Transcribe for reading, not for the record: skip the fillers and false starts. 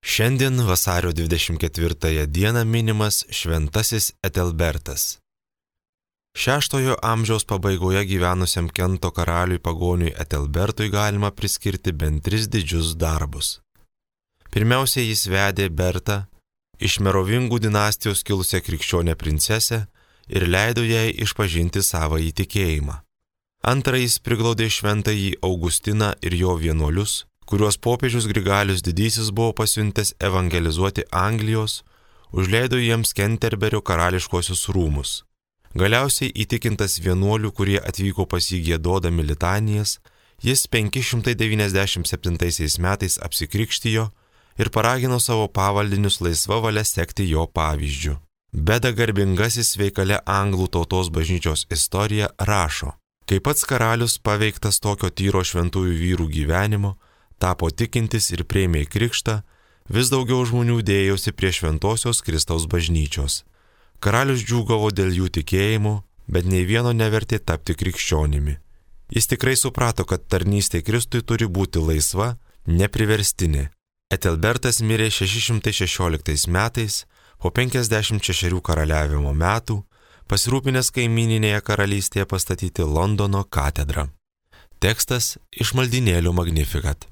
Šiandien vasario 24 dieną minimas šventasis Etelbertas. 6 amžiaus pabaigoje gyvenusiam Kento karaliui pagoniui Etelbertui galima priskirti bent 3 didžius darbus. Pirmiausia, jis vedė Bertą, iš Merovingų dinastijos kilusią krikščionę princesę, ir leido jai išpažinti savąjį tikėjimą. Antra, jis priglaudė šventąjį Augustiną ir jo vienuolius, kuriuos popiežius Grigalius Didysis buvo pasiuntęs evangelizuoti Anglijos, užleido jiems Kenterberio karališkosius rūmus. Galiausiai įtikintas vienuolių, kurie atvyko pas jį giedodami litanijas, jis 597 metais apsikrikštijo ir paragino savo pavaldinius laisva valia sekti jo pavyzdžiu. Beda garbingasis veikale anglų tautos bažnyčios istorija rašo: kai pats karalius paveiktas tokio tyro šventųjų vyrų gyvenimo, tapo tikintis ir priėmė krikštą, vis daugiau žmonių dėjosi prie šventosios Kristaus bažnyčios. Karalius džiūgavo dėl jų tikėjimų, bet nei vieno nevertė tapti krikščionimi. Jis tikrai suprato, kad tarnystė Kristui turi būti laisva, nepriverstinė. Etelbertas mirė 616 metais, po 56 karaliavimo metų, pasirūpinęs kaimyninėje karalystėje pastatyti Londono katedrą. Tekstas iš maldynėlių Magnificat.